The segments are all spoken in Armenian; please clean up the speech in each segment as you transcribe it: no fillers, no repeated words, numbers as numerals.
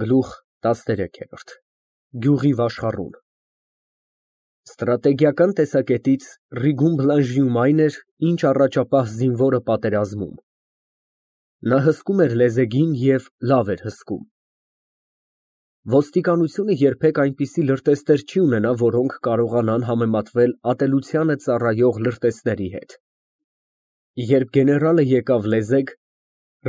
Գլուխ 13 Գյուղի վաշխառուն Ստրատեգիական տեսակետից Ռիգուն Բլանժիում այն էր, ինչ առաջապահ զինվորը պատերազմում։ Նա հսկում էր լեզեգին և լավ էր հսկում։ Ոստիկանությունը երբեք այնպիսի լրտեսներ չի ունենա, որոնք կարողանան համեմատվել ատելությանը ծառայող լրտեսների հետ։ Երբ գեներալը եկավ լեզեգ,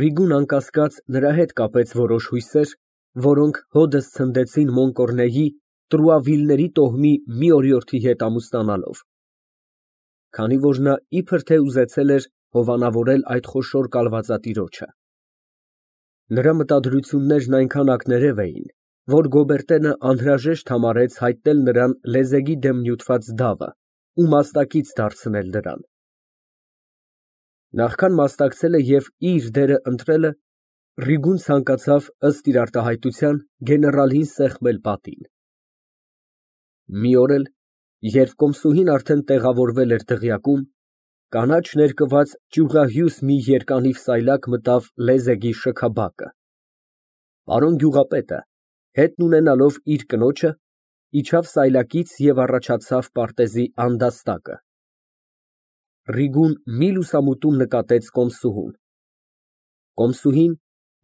Ռիգուն անկասկած նրա հետ կապեց որոշ հույսեր, որոնք հօդս ցնդեցին Մոնկորնեի Տրուավիլների տոհմի մի օրիորդի հետ ամուսնանալով։ Քանի որ նա իբր թե ուզեցել էր հովանավորել այդ խոշոր կալվածատիրոջը։ Նրա մտադրություններն այնքան ակներև էին, որ Գոբերտենը անհրաժեշտ համարեց հայտնել նրան լեզեգի դեմ նյութված դավը ու մասնակից դարձնել նրան։ Նախքան մասնակցելը և իր դերը ընտրելը, Ռիգուն ցանկացավ, ըստ իր արտահայտության, գեներալին սեղմել պատին։ Մի օր էլ, երբ կոմսուհին արդեն տեղավորվել էր դղյակում, կանաչ ներկված ճյուղահյուս մի երկանիվ սայլակ մտավ լեզեգի շքաբակը։ Պարոն գյուղապետը, հետն ունենալով իր կնոջը, իջավ սայլակից և առաջացավ պարտեզի անդաստակը։ Ռիգուն մի լուսամուտում նկատեց կոմսուհուն։ Կոմսուհին,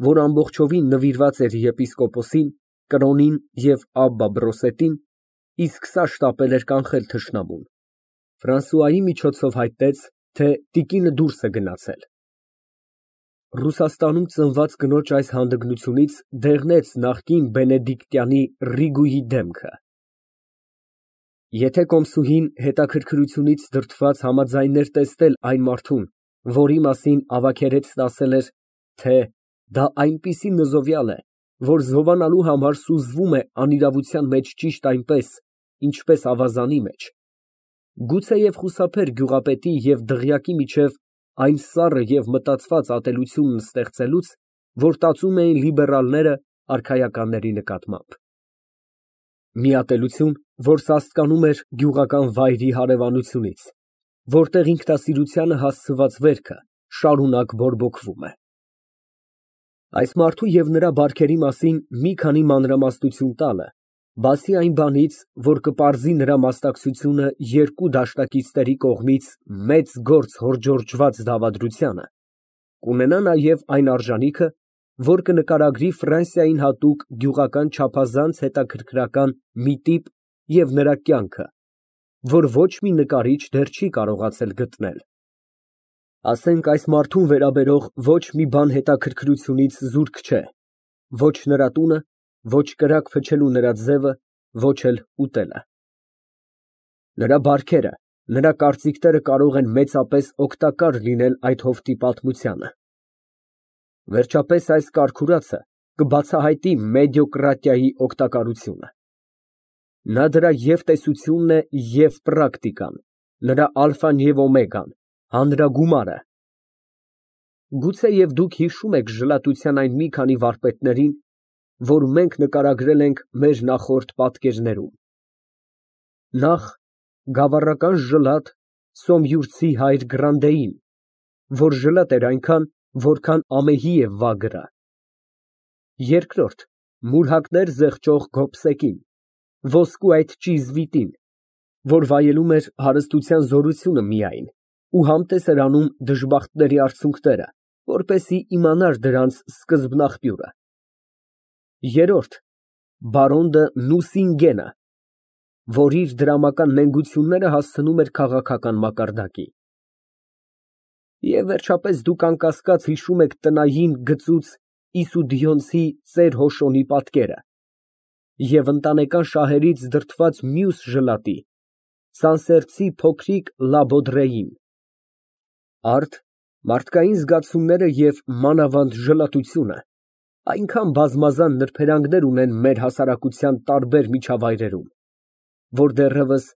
որ ամբողջովին նվիրված էր եպիսկոպոսին, կրոնին և Աբբա Բրոսետին, իսկ սա շտապել էր կանխել թշնամուն, Ֆրանսուայի միջոցով հայտնեց, թե տիկինը դուրս է գնացել։ Ռուսաստանում ծնված կնոջ այս հանդգնությունից դեղնեց նախկին բենեդիկտյանի Ռիգուի դեմքը։ Եթե կոմսուհին հետաքրքրությունից դրդված համաձայներ տեսնել այն մարդուն, որի մասին ավագերեցն ասել էր, թե դա այնպիսի նզովյալ է, որ զովանալու համար սուզվում է անիրավության մեջ ճիշտ այնպես, ինչպես ավազանի մեջ, գուցեև խուսափեր գյուղապետի և դղյակի միջև այն սառը և մտածված ատելությունն ստեղծելուց, որ տածում էին լիբերալները արքայականների նկատմամբ։ Մի ատելություն, որ սաստկանում էր գյուղական վայրի հարևանությունից, որտեղ ինքնասիրությանը հասցված վերքը շարունակ բորբոքվում է։ Այս մարդու և նրա բարքերի մասին մի քանի մանրամասնություն տալը, բացի այն բանից, որ կպարզի նրա մասնակցությունը երկու դաշնակիցների կողմից մեծ գործ հորճորջված դավադրությանը, կունենա նաև այն արժանիքը, որ կնկարագրի Ֆրանսիային հատուկ գյուղական չափազանց հետաքրքրական մի տիպ և նրա կյանքը, որ ոչ մի նկարիչ դեռ չի կարողացել գտնել։ Ասենք այս մարդուն վերաբերող ոչ մի բան հետաքրքրությունից զուրկ չէ, ոչ նրա տունը, ոչ կրակ փչելու նրա ձևը, ոչ էլ ուտելը։ Նրա բարքերը, նրա կարծիքները կարող են մեծապես օգտակար լինել այդ հովտի պատմությանը։ Վերջապես այս կարգուրացը կբացահայտի մեդիոկրատիայի օգտակարությունը։ Նա դրա և տեսությունն է, և պրակտիկան, նրա ալֆան և օմեգան, հանրագումարը։ Գուցեև դուք հիշում եք ժլատության այն մի քանի վարպետներին, որ մենք նկարագրել ենք մեր նախորդ պատկերներում. Նախ գավառական ժլատ Սոմյուռցի հայր Գրանդեին, որ ժլատ էր այնքան, որքան ամեհի է վագրը. երկրորդ մուրհակներ զեղչող Գոբսեկին, ոսկու այդ ճիզվիտին, որ վայելում էր հարստության զորությունը միայն ու համտես էր անում դժբախտների արցունքները, որպեսզի իմանար դրանց սկզբնաղբյուրը. երրորդ բարոն դը Նուսինգենը, որ իր դրամական նենգությունները հասցնում էր քաղաքական մակարդակի։ Եվ վերջապես դուք անկասկած հիշում եք տնային գծուծ Իսուդիոնցի ծեր Հոշոնի պատկերը և ընտանեկան շահերից դրդված մյուս ժլատի Սանսերցի փոքրիկ Լաբոդրեին։ Արդ, մարդկային զգացումները և մանավանդ ժլատությունը այնքան բազմազան նրբերանգներ ունեն մեր հասարակության տարբեր միջավայրերում, որ դեռևս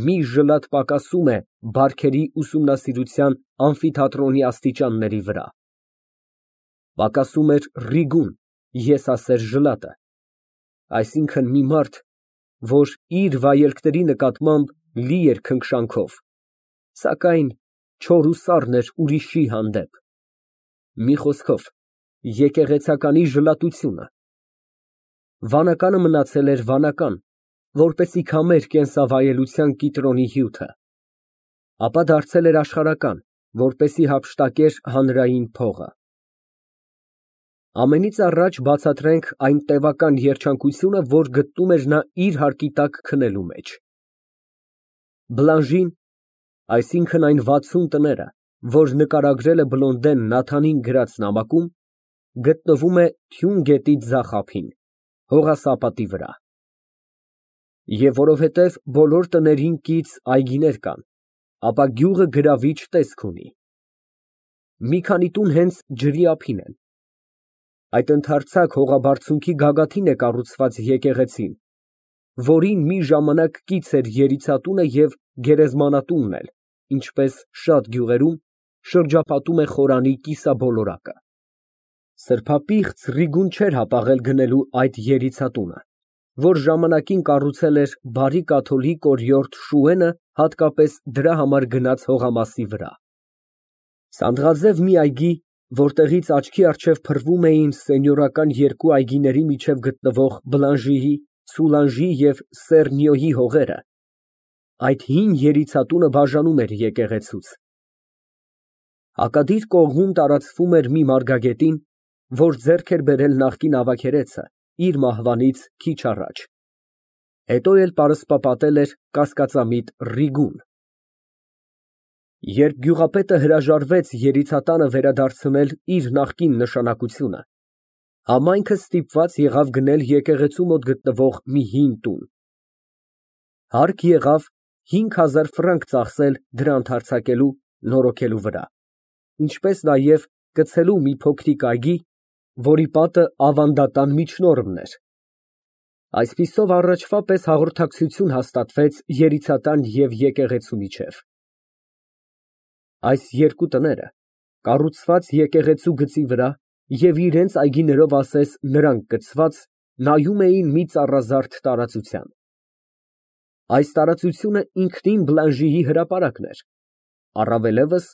մի ժլատ պակասում է բարքերի ուսումնասիրության ամֆիթատրոնի աստիճանների վրա։ Պակասում էր Ռիգուն եսասեր ժլատը, այսինքն մի մարդ, որ իր վայելքների նկատմամբ լի էր քնքշանքով, սակայն չոր ու սառն էր ուրիշի հանդեպ, մի խոսքով, եկեղեցականի ժլատությունը։ Վանականը մնացել էր վանական, որպեսզի քամեր կենսավայելության կիտրոնի հյութը, ապա դարձել էր աշխարհական, որպեսզի հափշտակեր հանրային փողը։ Ամենից առաջ բացատրենք այն տևական երջանկությունը, որ գտնում էր նա իր հարկի տակ քնելու մեջ։ Բլանժին, այսինքն այն 60 տները, որ նկարագրել է Բլոնդեն Նաթանին գրած նամակում, գտնվում է Թյուն գետի ձախ ափին, հողասապատի վրա։ Եվ որովհետև բոլոր տներին կից այգիներ կան, ապա գյուղը գրավիչ տեսք ունի։ Մի քանի տուն հենց ջրի ափին են։ Այդ ընդարձակ հողաբարձունքի գագաթին է կառուցված եկեղեցին, որին մի ժամանակ կից էր երիցատունը և գերեզմանատունն էլ, ինչպես շատ գյուղերում շրջապատում է խորանի կիսաբոլորակը։ Սրբապիղծ Ռիգուն չէր հապաղել գնելու այդ երիցատունը, որ ժամանակին կառուցել էր բարի կաթոլիկ օրիորդ Շուենը հատկապես դրա համար գնած հողամասի վրա։ Սանդղաձև մի այգի, որտեղից աչքի առջև փռվում էին սենյորական երկու այգիների միջև գտնվող Բլանժիի, Սուլանժի և Սեռնյոյի հողերը, այդ հին երիցատունը բաժանում էր եկեղեցուց։ Հակադիր կողմում տարածվում էր մի մարգագետին, որ ձեռք էր բերել նախկին ավագերեցը իր մահվանից քիչ առաջ, հետո էլ պարսպապատել էր կասկածամիտ Ռիգուն։ Երբ գյուղապետը հրաժարվեց երիցատանը վերադարձնել իր նախկին նշանակությունը, համայնքը ստիպված եղավ գնել եկեղեցու մոտ գտնվող մի հին տուն։ Հարկ եղավ 5000 ֆրանկ ծախսել դրա ընդարձակելու, նորոգելու վրա, ինչպես նաև գցելու մի փոքրիկ այգի, որի պատը ավանդատան միջնորդն էր։ Այսպիսով առաջվա պես հաղորդակցություն հաստատվեց երիցատան և եկեղեցու միջև։ Այս երկու տները, կառուցված եկեղեցու գծի վրա և իրենց այգիներով ասես նրանք կցված, նայում էին մի ծառազարդ տարածության։ Այս տարածությունը ինքնին Բլանժիի հրապարակն էր, առավելևս,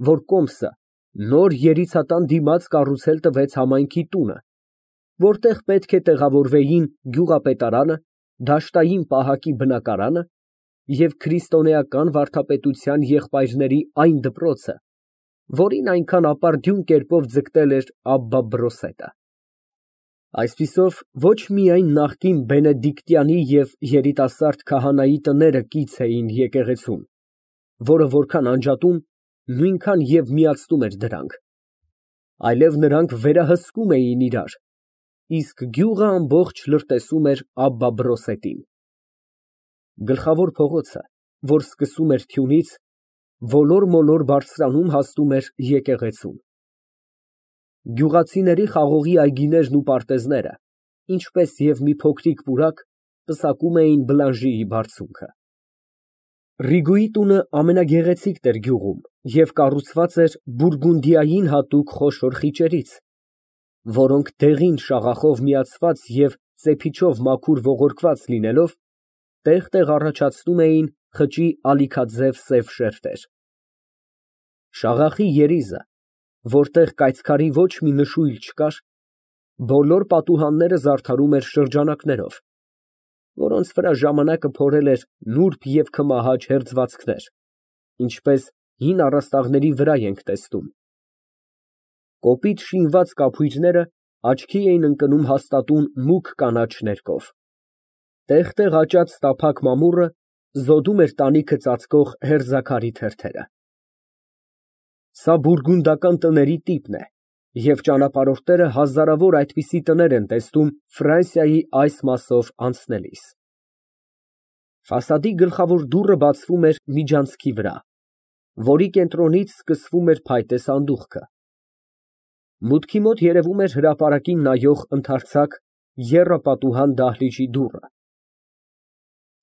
որ կոմսը նոր երիցատան դիմաց կառուցել տվեց համայնքի տունը, որտեղ պետք է տեղավորվեին գյուղապետարանը, դաշտային պահակի բնակարանը և քրիստոնեական վարդապետության եղբայրների այն դպրոցը, որին այնքան ապարդյուն կերպով ձգտել էր Աբբա Բրոսետը։ Այսպիսով, ոչ միայն նախկին Բենեդիկտյանի և երիտասարդ քահանայի տները կից էին եկեղեցուն, որը որքան անջատում, նույնքան և միացնում էր դրանք, այլև նրանք վերահսկում էին իրար, իսկ գյուղը ամբողջ լրտեսում էր Աբբա Բրոսետին։ Գլխավոր փողոցը, որ սկսում էր թյունից, ոլոր֊մոլոր բարձրանում հասնում էր եկեղեցուն։ Գյուղացիների խաղողի այգիներն ու պարտեզները, ինչպես և մի փոքրիկ պուրակ, պսակում էին Բլանժիի բարձունքը։ Ռիգուի տունը ամենագեղեցիկն էր գյուղում և կառուցված էր Բուրգունդիային հատուկ խոշոր խիճերից, որոնք դեղին շաղախով միացված և ծեփիչով մաքուր ողորկված լինելով, տեղ֊տեղ առաջացնում էին խճի ալիքաձև սև շերտեր։ Շաղախի երիզը, որտեղ կայծքարի ոչ մի նշույլ չկար, բոլոր պատուհանները զարդարում էր շրջանակներով, որոնց վրա ժամանակը փորել էր նուրբ և քմահաճ հերձվածքներ, ինչպես հին առաստաղների վրա ենք տեսնում։ Կոպիտ շինված կափույրները աչքի էին ընկնում հաստատուն մուգ կանաչ ներկով։ Տեղ֊տեղ աճած տափակ մամուռը զոդում էր տանիքը ծածկող հերձաքարի թերթերը։ Սա բուրգունդական տների տիպն է, և ճանապարհորդները հազարավոր այդպիսի տներ են տեսնում Ֆրանսիայի այս մասով անցնելիս։ Ֆասադի գլխավոր դուռը բացվում էր միջանցքի վրա, որի կենտրոնից սկսվում էր փայտե սանդուղքը։ Մուտքի մոտ երևում էր հրապարակին նայող ընդարձակ եռապատուհան դահլիճի դուռը։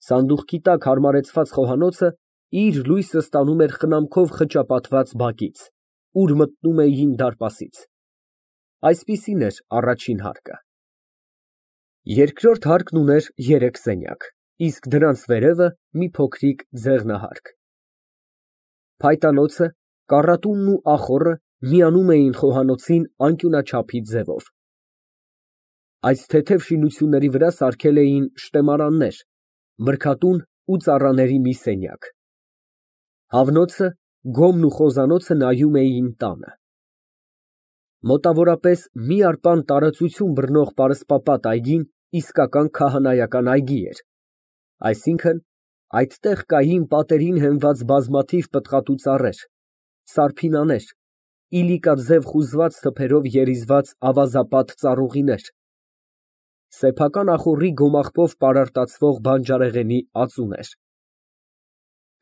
Սանդուղքի տակ հարմարեցված խոհանոցը իր լույսը ստանում էր խնամքով խճապատված բակից, ուր մտնում էին դարպասից։ Այսպիսին էր առաջին հարկը։ Երկրորդ հարկն ուներ 3 սենյակ, իսկ դրանց վերևը մի փոքրիկ ձեղնահարկ։ Փայտանոցը, կառատունն ու ախոռը միանում էին խոհանոցին անկյունաչափի ձևով։ Այս թեթև շինությունների վրա սարքել էին շտեմարաններ, մրգատուն ու ծառաների մի սենյակ։ Հավնոցը, գոմն ու խոզանոցը նայում էին տանը։ Մոտավորապես մի արպան տարածություն բռնող պարսպապատ այգին իսկական քահանայական այգի էր, այսինքն այդտեղ կային պատերին հենված բազմաթիվ պտղատու ծառեր, սարփինաներ, իլիկաձև խուզված թփերով երիզված ավազապատ ծառուղիներ, սեփական ախոռի գոմաղբով պարարտացվող բանջարեղենի ածուներ։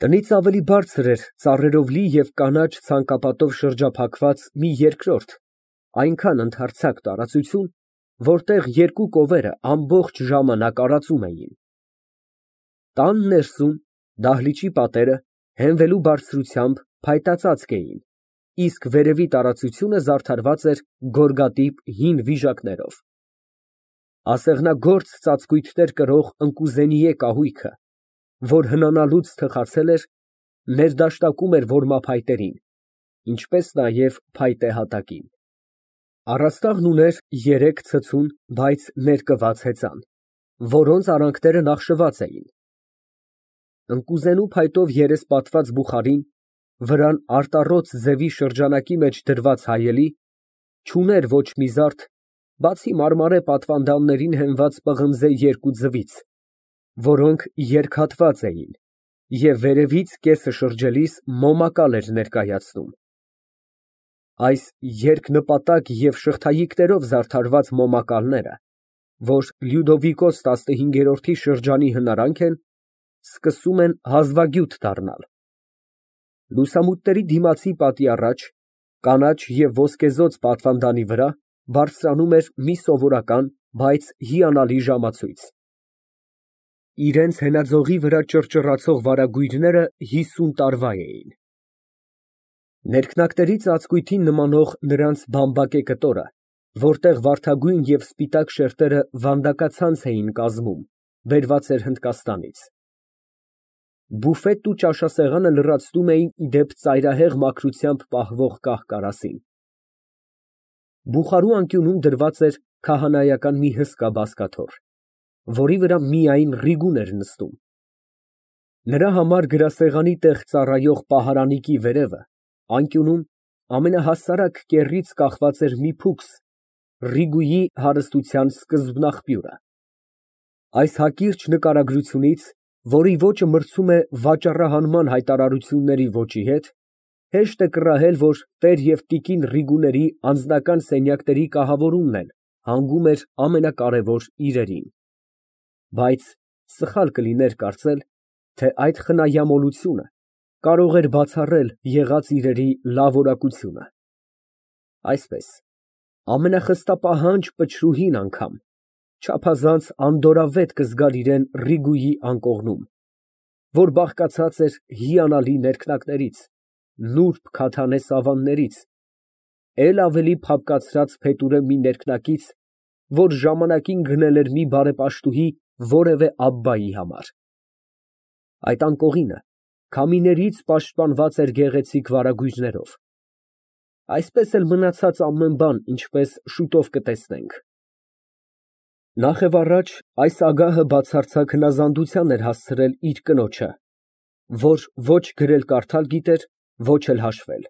Տնից ավելի բարձր էր ծառերով լի և կանաչ ցանկապատով շրջափակված մի երկրորդ, այնքան ընդարձակ տարածություն, որտեղ երկու կովերը ամբողջ ժամանակ արածում էին։ Տան ներսում դահլիճի պատերը հենվելու բարձրությամբ փայտածածկ էին, իսկ վերևի տարածությունը զարդարված էր գորգատիպ հին վիժակներով։ Ասեղնագործ ծածկույթներ կրող ընկուզենիե կահույքը, որ հնանալուց թխացել էր, ներդաշտակում էր որմափայտերին, ինչպես նաև փայտե հատակին։ Առաստաղն ուներ երեք ցցուն, բայց ներկված հեծան, որոնց արանքները նախշված էին։ Ընկուզենու փայտով երեսպատված բուխարին, վրան արտառոց ձևի շրջանակի մեջ դրված հայելի, չուներ ոչ մի զարդ, բացի մարմարե պատվանդաններին հենված պղնձե երկու ձվից, որոնք երկհատված էին և վերևից կեսը շրջելիս մոմակալ էր ներկայացնում։ Այս երկնպատակ և շղթայիկներով զարդարված մոմակալները, որ Լյուդովիկոս 15-րդի շրջանի հնարանք են, սկսում են հազվագյուտ դառնալ։ Լուսամուտների դիմացի պատի առաջ, կանաչ և ոսկեզօծ պատվանդանի վրա բարձրանում էր մի սովորական, բայց հիանալի ժամացույց։ Իրենց հենաձողի վրա ճռճռացող վարագույրները 50 տարվա էին։ Ներքնակների ծածկույթին նմանող նրանց բամբակե կտորը, որտեղ վարդագույն և սպիտակ շերտերը վանդակացանց էին կազմում, բերված էր Հնդկաստանից։ Բուֆետն ու ճաշասեղանը լրացնում էին ի դեպ ծայրահեղ մաքրությամբ պահվող կահ֊կարասին։ Բուխարու անկյունում դրված էր քահանայական մի հսկա բազկաթոռ, որի վրա միայն Ռիգուն էր նստում։ Նրա համար գրասեղանի տեղ ծառայող պահարանիկի վերևը, անկյունում, ամենահասարակ կեռից կախված էր մի փուքս, Ռիգուի հարստության սկզբնաղբյուրը։ Այս հակիրճ նկարագրությունից, որի ոճը մրցում է վաճառահանման հայտարարությունների ոճի հետ, հեշտ է կռահել, որ տեր և տիկին Ռիգուների անձնական սենյակների կահավորումն էլ հանգում էր ամենակարևոր իրերին։ Բայց սխալ կլիներ կարծել, թե այդ խնայամոլությունը կարող էր բացառել եղած իրերի լավ որակությունը։ Այսպես, ամենախստապահանջ պչրուհին անգամ չափազանց անդորրավետ կզգար իրան Ռիգուի անկողնում, որ բաղկացած էր հիանալի ներքնակներից, նուրբ քաթանե սավաններից, էլ ավելի փափկացած փետուրե մի ներքնակից, որ ժամանակին գնել էր մի բարեպաշտուհի որևէ աբբայի համար։ Այդ անկողինը քամիներից պաշտպանված էր գեղեցիկ վարագույրներով։ Այսպես էլ մնացած ամեն բան, ինչպես շուտով կտեսնենք։ Նախևառաջ այս ագահը բացարձակ հնազանդության էր հասցրել իր կնոջը, որ ոչ գրել֊կարդալ գիտեր, ոչ էլ հաշվել։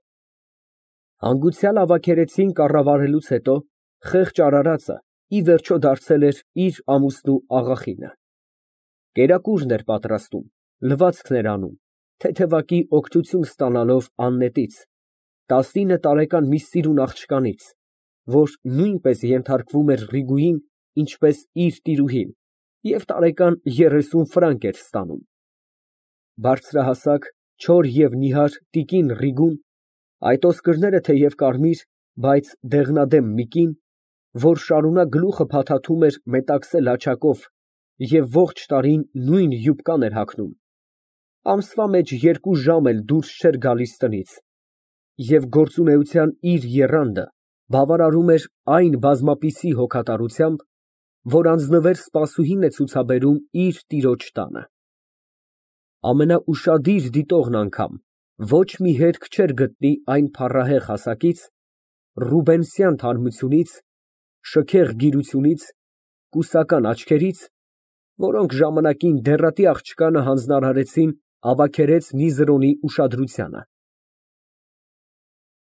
Հանգուցյալ ավագերեցին կառավարելուց հետո խեղճ արարածը ի վերջո դարձել էր իր ամուսնու աղախինը։ Կերակուրն էր պատրաստում, լվացքներ անում, թեթևակի օգնություն ստանալով Աննետից, 19 տարեկան մի սիրուն աղջկանից, որ նույնպես ենթարկվում էր Ռիգուին, ինչպես իր տիրուհին, և տարեկան 30 ֆրանկ էր ստանում։ Բարձրահասակ, չոր և նիհար տիկին Ռիգուն, այդ ոսկրները թեև կարմիր, բայց դեղնադեմ մի կին, որ շարունակ գլուխը փաթաթում էր մետաքսե լաչակով և ողջ տարին նույն յուբկան էր հագնում, ամսվա մեջ 2 ժամ էլ դուրս չէր գալիս տնից, և գործունեության իր եռանդը բավարարում էր այն բազմապիսի հոգատարությամբ, որ անձնվեր սպասուհին է ցուցաբերում իր տիրոջ տանը։ Ամենաուշադիր դիտողն անգամ ոչ մի հետք չէր գտնի այն փառահեղ հասակից, ռուբենսյան թարմությունից, շքեղ գիրությունից կուսական աչքերից, որոնք ժամանակին դեռատի աղջկանը հանձնարարեցին, ավագերեց մի զրոնի ուշադրությանը։